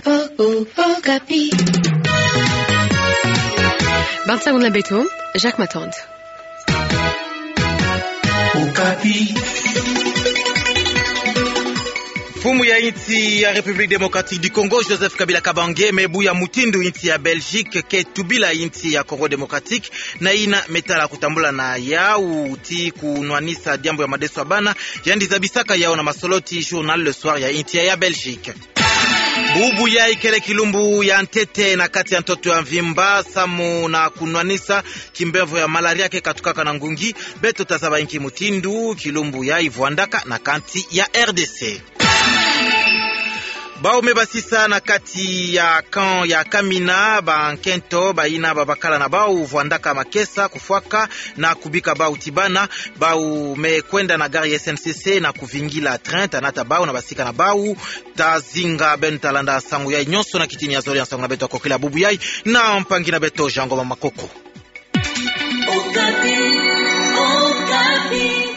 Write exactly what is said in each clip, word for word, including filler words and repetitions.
Oh, oh, Okapi. Bantu na beto, Jacques Matand. Okapi. Mfumu ya insi ya République Démocratique du Congo, Joseph Kabila Kabange, me buya mutindu insi ya Belgique ke tubila insi ya Congo Démocratique, na yina me tala kutambula na yawu ti kunwanisa diambu ya madesu ya bana, yandi zabisaka yawu na masoloti Journal Le Soir ya insi ya, ya Belgique. Bubu yayi kele kilumbu ya ntete na kati ya ntoto ya mvimba, samu na kunwanisa kimbevo ya malaria ke katukaka na ngungi. Beto tazaba inki mutindu kilumbu yayi vwandaka na kansi ya R D C. Bawu me basisa na kati ya camp ya Kamina, bankento bayina babakala na bawu vwandaka makesa, kufwaka na kubika bawu ti bana. Bawu me kwenda na gare ya S N C C na kuvingila train, tanata bawu na basika na bawu. Tazinga beno talanda nsangu yayi nyonso na kitini ya zole ya nsangu na beto ya kokila bubu yayi, na mpangi na beto Jean Ngoma Makoko. Okapi, Okapi.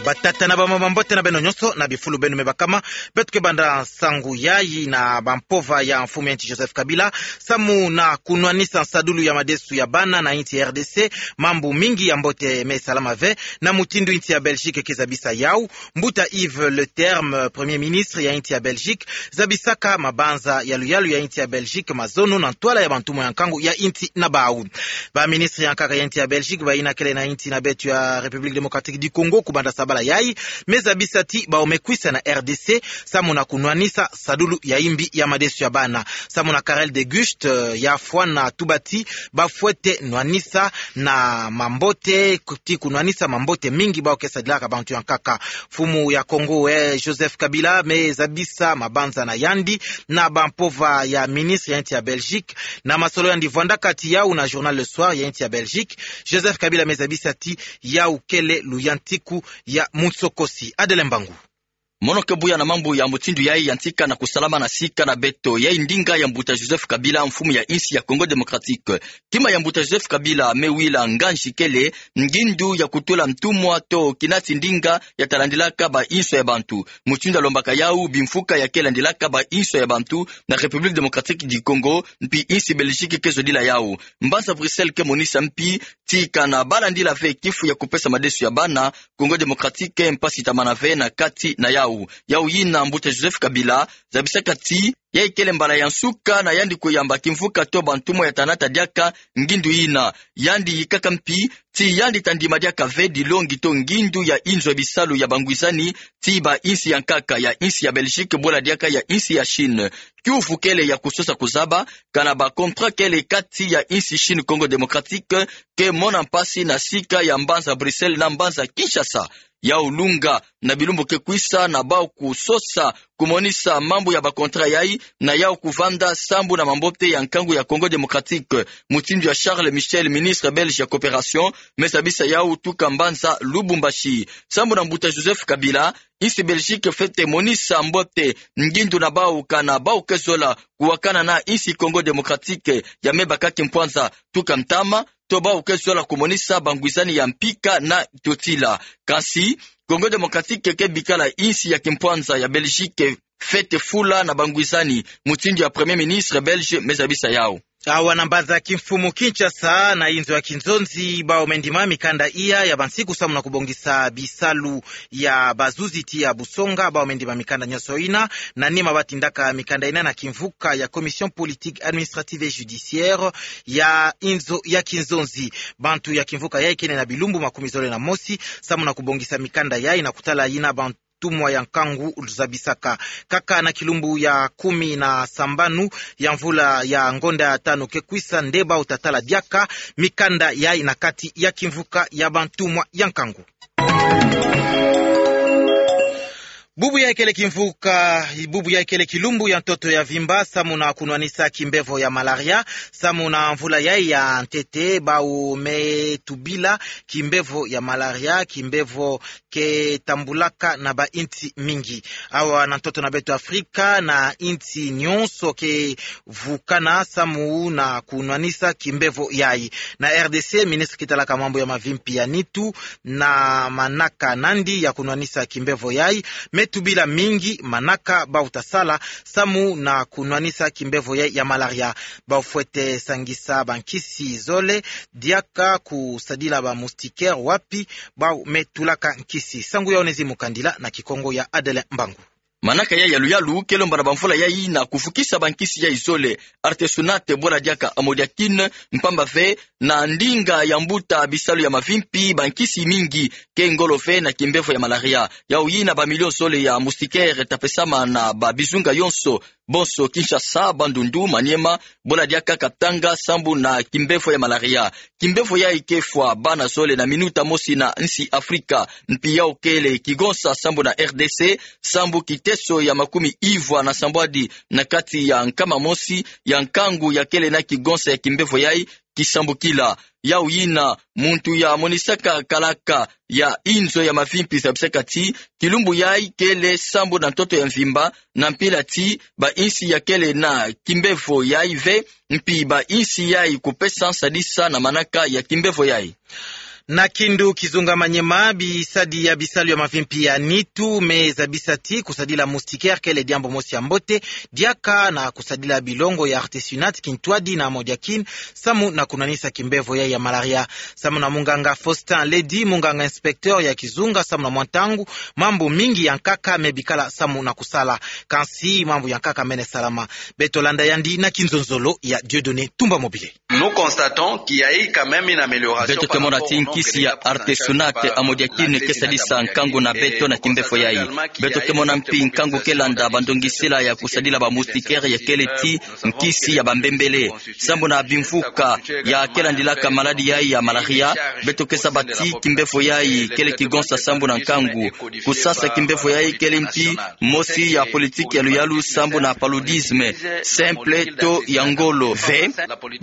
Batata na bamama, mbote na beno nyonso na bifulu beno me bakama. Beto ke banda nsangu yayi na bampova ya mfumu ya insi Joseph Kabila, samu na kunwanisa nsadulu ya madesu ya bana na insi R D C. Mambu mingi ya mbote me salama ve, na mutindu insi ya Belgique ke zabisa yawu. Mbuta Yves Leterme, Premier ministre ya insi ya Belgique, zabisaka mabanza ya luyalu ya insi ya Belgique mazono na ntwala ya bantumwa ya nkangu ya insi na bawu. Baministre ya nkaka ya insi ya Belgique, bayina kele na insi na beto ya République Démocratique du Congo kubanda sabala yayi, me zabisa ti bawu me kwisa na R D C, samu na kunwanisa nsadulu ya imbi ya madesu ya bana. Samu na Karel De Gucht, eh, ya fwana tuba ti bafwete nwanisa na mambote, ku-, ti kunwanisa mambote mingi bawu ke sadilaka bantu ya nkaka. Mfumu ya Congo, eh, Joseph Kabila, me zabisa mabanza na yandi na bampova ya ministre ya insi ya Belgique, na masolo yandi vwandaka ti yawu na Journal Le Soir ya insi ya Belgique. Joseph Kabila me zabisa ti yawu kele luyantiku ya munsokosi. Adeline Mbangu. Mono ke buya na mambu ya mutindu yayi yantika na kusalama na sika na beto. Yayi ndinga ya mbuta Joseph Kabila, mfumu ya insi ya Congo Démocratique. Kima ya mbuta Joseph Kabila me wila nganzi kele ngindu ya kutula ntumwa to kinati ndinga ya talandilaka bainso ya bantu. Mutindu alombaka yawu, bimfuka ya ke landilaka bainso ya bantu na République Démocratique du Congo, mpi insi Belgique ke zodila yawu. Mbanza Bruxelles ke monisa mpi ti kana balandila ve kifu ya kupesa madesu ya bana, Congo Démocratique mpasi tamana ve na kati na yawu. Yawu yina mbuta Joseph Kabila zabisaka ti yayi kele mbala ya nsuka na yandi kuyamba kimvuka to bantumwa ya tanata diaka ngindu yina. Yandi yikaka mpi ti yandi tandima diaka ve dilongi to ngindu ya inzo ya bisalu ya bangwizani ti bainsi ya nkaka, ya insi ya Belgique bula diaka ya insi ya Chine. Kiuvu kele ya kusosa kuzaba kana ba contrat kele kati ya insi Chine Congo Démocratique ke mona mpasi na sika ya mbanza Bruxelles na mbanza Kinshasa. Yawu lunga na bilumbu ke kwisa na bawu kusosa kumonisa mambu ya ba contrat yayi, na yawu kuvanda sambu na mambote ya nkangu ya Congo Démocratique. Mutindu ya Charles Michel, ministre belge ya coopération, me zabisa yawu tuka mbanza Lubumbashi. Sambu na mbuta Joseph Kabila, insi Belgique fwete monisa mbote ngindu na bawu kana bawu ke zola kuwakana na insi Congo Démocratique ya me baka kimpwanza tuka ntama, to bawu ke zola kumonisa bangwizani ya mpika na totila. Kansi, Congo Démocratique ke bikala insi ya kimpwanza ya Belgique fwete fula na bangwizani, mutindu ya Premier ministre belge me zabisa yawu. Awa na mbanza kimfumu Kinshasa, na inzo ya kinzonzi, bawu me ndima mikanda iya ya bansiku samu na kubongisa bisalu ya bazuzi ti ya busonga, bawu me ndima mikanda nyonso yina. Na nima batindaka mikanda yina na kimvuka ya Commission politique administrative et judiciaire ya inzo ya kinzonzi. Bantu ya kimvuka yayi kena na bilumbu makumi zole na mosi samu na kubongisa mikanda yayi na kutala yina bantu ntumwa ya nkangu zabisaka. Kaka na kilumbu ya kumi na sambanu ya mvula ya ngonda ya tanu ke kwisa nde bawu tatala diaka mikanda yayi na kati ya kimvuka ya bantumwa ya nkangu. Bubu yayi kele kimvuka, bubu yayi kele kilumbu ya ntoto ya vimba samu na kunwanisa kimbevo ya malaria. Samu na mvula yayi ya ntete, bawu me tubila kimbevo ya malaria, kimbevo ke tambulaka na bainsi mingi. Awa na ntoto na beto Afrika, na insi nyonso ke vukana samu na kunwanisa kimbevo yayi. Na R D C, ministre ke talaka mambu ya mavimpi ya nitu na manaka nandi ya kunwanisa kimbevo yayi me tubila mingi manaka bau ta sala samu na kunwanisa kimbevo yai ya malaria. Bau fwete sangisa bankisi zole diaka kusadila ba moustiquaire wapi bau me tulaka nkisi. Sangu yau nezi mu kandila na Kikongo ya Adelin Mbangu. Manaka yai ya luyalu kele mbana bamvula yai na kufukisa bankisi yai zole, artesunate, bwela diaka amodiakine, mpamba ve na ndinga ya mbuta bisalu ya mavimpi, bankisi mingi ke ngolo ve na kimbevo ya malaria. Yau yina bamilio zole ya moustiquaire ta pesama na babizunga yonso, bonso Kinshasa, Bandundu, Maniema, bwela diaka Katanga, sambu na kimbevo ya malaria. Kimbevo yai ke fwa bana zole na minuta mosi na nsi Afrika, mpi yau kele kigonsa sambu na R D C, sambu kiteso ya makumi ivwa na sambwadi na kati ya nkama mosi ya nkangu ya kele na kigonsa ya kimbevo yai kisambukila. Yau yina muntu ya monisaka kalaka ya inzo ya mavimpi zabisaka ti kilumbu yai kele sambu na ntoto ya mvimba, na mpila ti bainsi ya kele na kimbevo yai ve, mpi bainsi yai kupesa nsadisa na manaka ya kimbevo yai. Na kindu kizunga Maniema, bisadi ya bisalu ya mavimpi ya nitu me zabisa ti kusadila moustiquaire kele diambu mosi ya mbote, diaka na kusadila bilongo ya artesunate, kintwadi na amodiakine, samu na kunwanisa kimbevo yai ya malaria. Samu na munganga Faustin Ledi, munganga inspecteur ya kizunga, samu na mwa ntangu, mambu mingi ya nkaka me bikala samu na kusala. Kansi mambu ya nkaka mene salama. Beto landa yandi na kinzonzolo ya Dieudonné Tumba Mobile. Nous constatons qu'il y a eu quand même une amélioration. Beto ke mona ti nkisi ya artesunate, amodiakine ke sadisa nkangu na beto na kimbevo yai. Beto ke mona mpi nkangu ke landa bandongisila ya kusadila ba moustiquaire ya kele ti nkisi ya bambembele. Sambu na bimvuka ya ke landilaka maladi yai ya malaria, beto ke saba ti kimbevo yai kele kigonsa sambu na nkangu. Kusasa kimbevo yai kele mpi mosi ya politique ya luyalu sambu na paludisme simple to ya ngolo. Ve,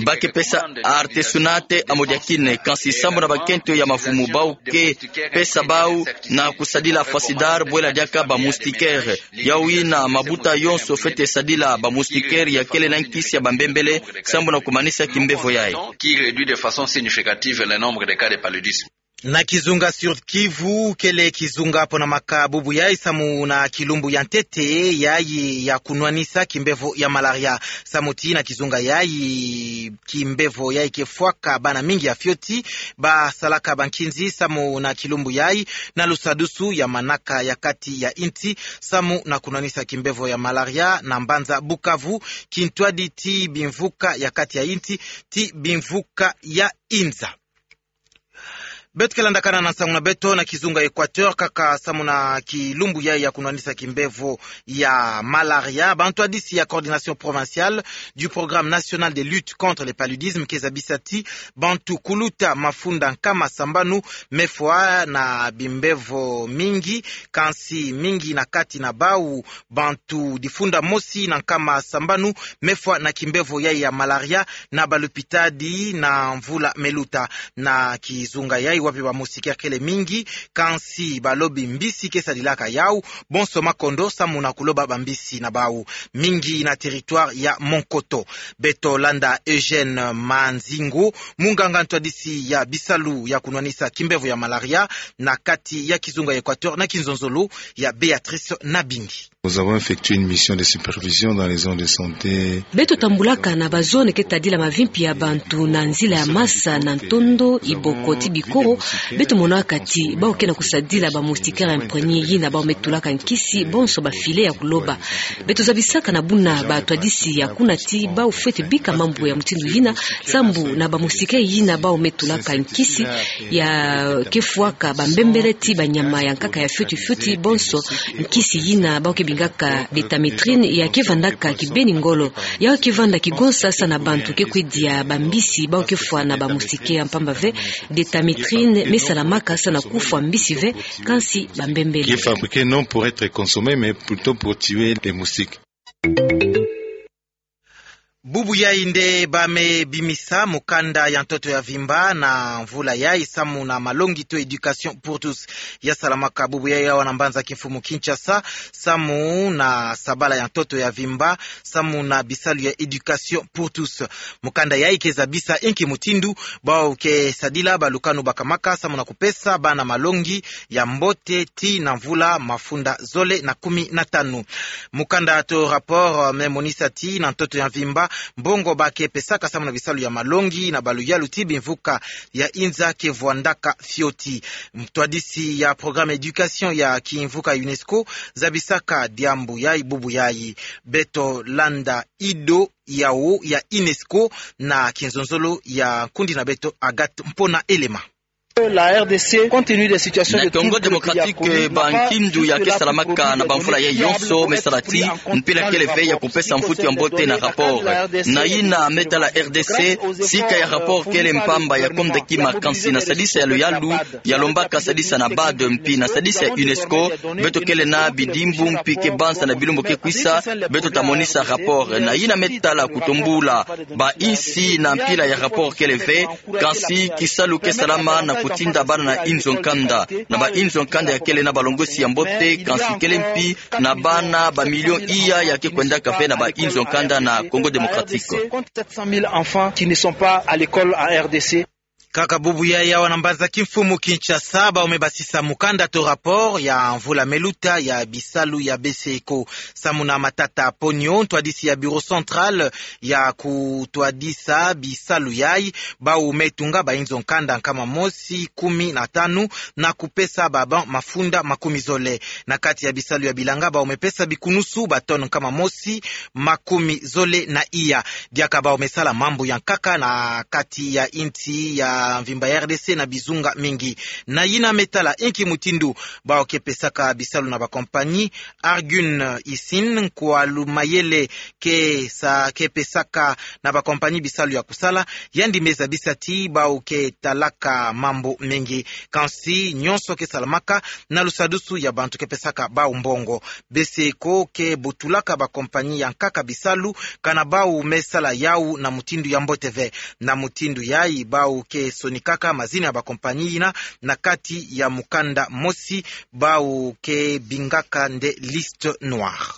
ba ke pesa artesunate, amodiakine, kansi sambu na bakento ya mavumu bau ke pesa bau na kusadila Fasidar, bwela diaka ba moustiquaire. Yau yina mabuta yonso fwete sadila ba moustiquaire ya kele na nkisi ya bambembele, sambu na kumanisa kimbevo yai. Qui réduit de façon significative le nombre de cas de paludisme. Na kizunga Sud-Kivu, kele kizunga ponamaka bubu yai samu na kilumbu ya ntete yai ya kunwanisa kimbevo ya malaria. Samu ti na kizunga yai, kimbevo yai ke fwaka bana mingi ya fioti, ba salaka bankinzi samu na kilumbu yai, na lusadusu ya manaka ya kati ya insi, samu na kunwanisa kimbevo ya malaria na mbanza Bukavu, kintwadi ti bimvuka ya kati ya insi, ti bimvuka ya inza. Beto ke landakana na nsangu na beto na kizunga Équateur, kaka samu na kilumbu yai ya kunwanisa kimbevo ya malaria. Bantwadisi ya Coordination Provinciale du Programme National de Lutte contre le Paludisme ke zabisa ti bantu kuluta mafunda nkama sambanu me fwa na bimbevo mingi, kansi mingi na kati na bau bantu difunda mosi na nkama sambanu me fwa na kimbevo yai ya malaria na balupitadi na mvula me luta. Na kizunga yai wapi ba moustiquaire kele mingi, kansi balobi mbisi ke sadilaka yau, bonso makondo samu na kuloba bambisi na bau, mingi na territoire ya Monkoto. Beto landa Eugène Manzingu, munganga ntwadisi ya bisalu ya kunwanisa kimbevo ya malaria na kati ya kizunga Équateur na kinzonzolo ya Béatrice Nabindi. Nous avons effectué une mission de supervision dans les zones de santé. Beto tambulaka na ba zone ke tadila mavimpi ya bantu na nzila ya Masa, na Ntondo, Iboko ti Bikoro. Beto monaka ti bau ke na kusadila ba moustiquaire imprégnés yina bau me tulaka nkisi, bonso ba filets ya kuloba. Beto zabisaka na buna batwadisi ya kuna ti bau fwete bika mambu ya mutindu yina, sambu na ba moustiquaire yina bau me tulaka nkisi ya ke fwaka bambembele ti banyama ya nkaka ya fioti fioti, bonso nkisi yina bau ke bingaka détaméthrine ya ke vandaka kibeni ngolo. Yau ke vanda kigonsa sa na bantu ke kwe dia bambisi bau ke fwa na ba moustiquaire, mpamba ve détaméthrine me salamaka sa na kufwa mbisi ve, kansi bambembele. Qui est fabriqué non pour être consommé, mais plutôt pour tuer les moustiques. Bubu yayi nde ba me bimisa mukanda ya ntoto ya vimba na mvula yayi samu na malongi to éducation pour tous. Ya salamaka bubu yayi awa na mbanza kimfumu Kinshasa, samu na sabala ya ntoto ya vimba, samu na bisalu ya éducation pour tous. Mukanda yayi ke zabisa inki mutindu bawu ke sadila balukanu bakamaka samu na kupesa bana malongi ya mbote tii na mvula mafunda zole na kumi na tanu. Mukanda to rapport, euh, me monisa ti na ntoto ya mvimba, mbongo ba ke pesaka samu na bisalu ya malongi na baluyalu ti bimvuka ya inza ke vwandaka fioti. Mtwadisi ya programme éducation ya kimvuka UNESCO zabisaka diambu yayi bubu yayi. Beto landa ido yawu ya UNESCO na kinzonzolo ya nkundi na beto Agathe Mpona Elema. La R D C, compte tenu des situations de troubles que le pays a connues, n'a pas eu de rapport pour régler la question. Na Congo Démocratique, ba nkindu ya ke salamaka na bamvula yayi yonso me sala ti mpila kele ve ya kupesa mvutu ya mbote na rapport. Na yina me tala R D C, sika ya rapport kele mpamba ya komda kima, kansi na sadisa ya luyalu ya lombaka sadisa na BAD mpi na sadisa ya UNESCO, beto kele na bidimbu mpi ke banza na bilumbu ke kwisa, beto ta monisa rapport. Na yina me tala kutombula ba insi, na mpila ya rapport kele ve, kansi kisalu ke salama na kutinda bana na inzo nkanda. Na ba inzo nkanda ya kele na balongosi ya mbote, kansi kele mpi na bana ba million iya ya ke kwendaka ve na ba inzo nkanda na Congo Démocratique. Compte sept cent mille enfants qui ne sont pas à l'école en R D C. Kaka bubu yayi awa na mbanza kimfumu Kinshasa, bawu me basisa mukanda to rapport ya mvula me luta ya bisalu ya B C E C O. Samu na Matata Ponyo, ntwadisi ya Bureau Central ya kutwadisa bisalu yayi, bawu me tunga ba inzo nkanda nkama mosi kumi na tanu na kupesa ba banc mafunda makumi zole. Na kati ya bisalu ya bilanga, bawu me pesa bikunusu ba tonne nkama mosi makumi zole na iya. Diaka bawu me sala mambu ya nkaka na kati ya insi ya mvimba ya R D C na bizunga mingi. Na yina me tala inki mutindu bawu ke pesaka bisalu na ba compagnie, Argun Isin, nkwalu mayele ke sa, ke pesaka na ba compagnie bisalu ya kusala, yandi me zabisa ti bawu ke talaka mambu mingi. Kansi nyonso ke salamaka na lusadusu ya bantu ke pesaka bawu mbongo. B C E C O ke butulaka ba compagnie ya nkaka bisalu, kana bawu me sala yawu na mutindu ya mbote ve. Na mutindu yayi, bawu ke sonikaka mazina ya ba compagnie yina na kati ya mukanda mosi, bawu ke bingaka nde liste noire.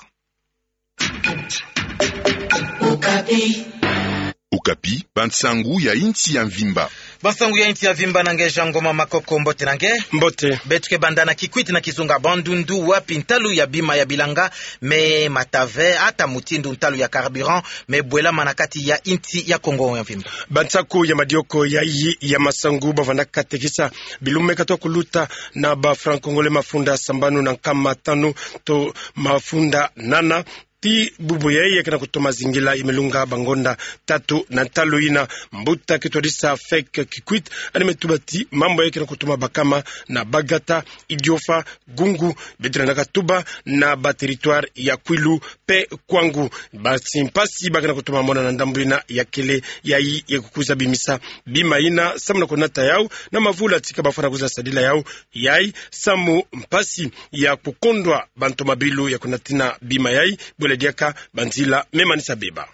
Okapi, bansangu ya insi ya mvimba. Bansangu ya insi ya mvimba na nge Jean Ngoma Makoko, mbote na nge. Mbote. Beto ke banda na Kikwit na kizunga Bandundu, wapi ntalu ya bima ya bilanga me mata ve, ata mutindu ntalu ya carburant me bwelama na kati ya insi ya Kongo ya mvimba. Bansaku ya madioko yayi ya masangu ba vandaka tekisa bilumbu me katuka kuluta na ba franc congolais mafunda sambanu na nkama tanu to mafunda nana. Ti bubu yayi ya ke na kutoma zingila, ya me lunga bangonda tatu na ntalu yina. Mbuta ke twadisa Fek Kikwit, yandi me tuba ti mambu yayi ke na kutoma bakama na Bagata, Idiofa, Gungu, beto lenda katuba na ba territoire ya Kwilu pe Kwangu. Basi mpasi ba ke na kutoma mona na ndambu yina ya kele yayi ya kukwiza bimisa bima yina samu na kunata yawu na mavula tika ba fwana kwiza sadila yawu yayi, samu mpasi ya kukondwa bantu mabilu ya kunatina bima yayi, bwela diaka banzila me manisa beba.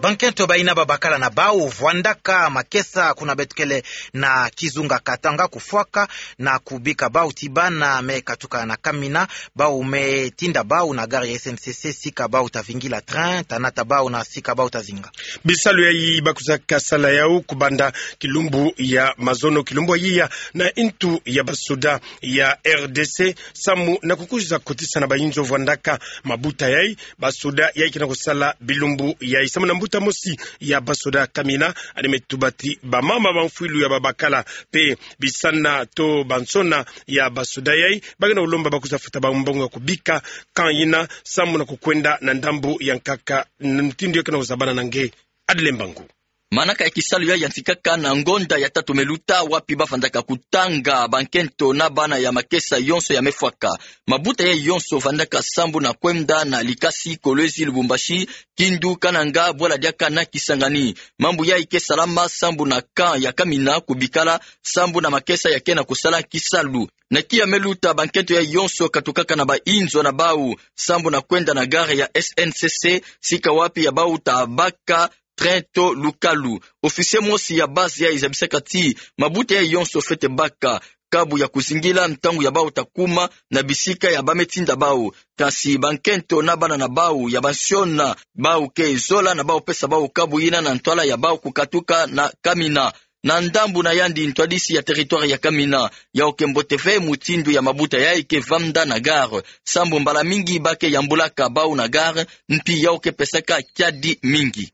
Bankento bayina babakala na bawu vwandaka makesa kuna beto kele na kizunga Katanga kufwaka na kubika bawu ti bana me katuka na Kamina, bawu me tinda bawu na gare ya S N C C sika bawu ta vingila train, ta nata bawu na sika bawu ta zinga. Bisalu yayi ba kwizaka sala yawu kubanda kilumbu ya mazono, kilumbu ya yiya, na ntu ya basoda ya R D C, samu na kukwiza kotisa na bayinzo vwandaka mabuta yayi, basoda yayi ke na kusala bilumbu yayi. Samu na mbuta mosi ya basoda Kamina, yandi me tuba ti bamama bamfwilu ya babakala pe bisana to bansona ya basoda yayi, ba ke na kulomba ba kwiza futa bawu mbongo ya kubika camp yina, samu na kukwenda na ndambu ya nkaka, mutindu ya ke na kuzabana na nge. Adele Mbangu. Manaka ya kisalu yayi yantikaka na ngonda ya tatu me luta, wapi ba vandaka kutanga bankento na bana ya makesa yonso ya me fwaka. Mabuta yayi yonso vandaka sambu na kwenda na Likasi, Kolwezi, Lubumbashi, Kindu, Kananga, bwela diaka na Kisangani. Mambu yayi ke salama sambu na camp ya Kamina kubikala sambu na makesa ya ke na kusala kisalu. Na kia meluta, bankento yai yonso katukaka na bainzo na bau sambu na kwenda na gare ya S N C C, sika wapi ya bau tabaka train to lukalu. Officier mosi ya base yai zabisaka ti mabuta yai yonso fwete baka kabu ya kuzingila ntangu ya bau takuma na bisika ya bame tinda bau. Kansi bankento na bana na bau ya bansiona bau ke zola na bau pesa bau kabu yina na ntwala ya bau kukatuka na Kamina. Na ndambu na yandi, ntwadisi ya territoire ya Kamina, yau ke mbote ve mutindu ya mabuta yai ke vanda na gare, sambu mbala mingi ba ke yambulaka bau na gare, mpi yau ke pesaka kiadi mingi.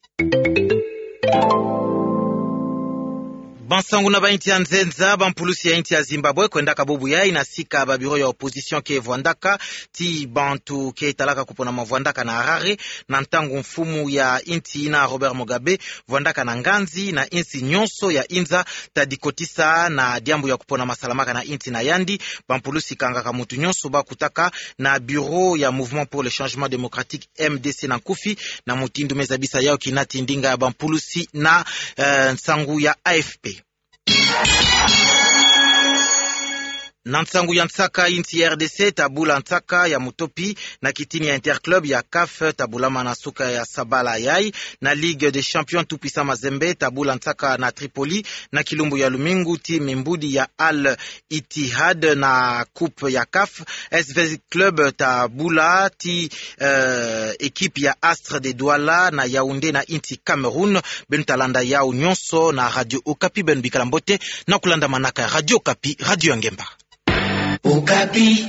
Bansangu na bainsi ya nzenza. Bampulusi ya insi ya Zimbabwe kwendaka bubu yai na sika ba bureau ya opposition ke vwandaka ti bantu ke talaka kupona mavwandaka na Harare, na ntangu mfumu ya insi yina Robert Mugabe vwandaka na nganzi na insi nyonso ya inza, tadi kotisa na diambu ya kupona masalamaka na insi na yandi. Bampulusi kangaka muntu nyonso ba kutaka na bureau ya Mouvement pour le Changement Démocratique, M D C na nkufi, na mutindu me zabisa yau kinati ndinga ya bampulusi na, eh, nsangu ya A F P. Na nsangu ya nsaka, insi R D C tabula nsaka ya mutopi na kitini ya Interclub ya CAF, tabulamana suka ya sabala yai. Na Ligue des Champions, Tout Puissant Mazembe tabula nsaka na Tripoli na kilumbu ya lumingu ti mimbudi ya Al Ittihad. Na Coupe ya CAF, S V Club tabula ti, eh, équipe ya Astre de Douala na Yaoundé na insi Cameroun. Beno talanda yau nyonso na Radio Okapi. Beno bikala mbote na kulandamanaka Radio Okapi, radio ya ngemba. Okapi.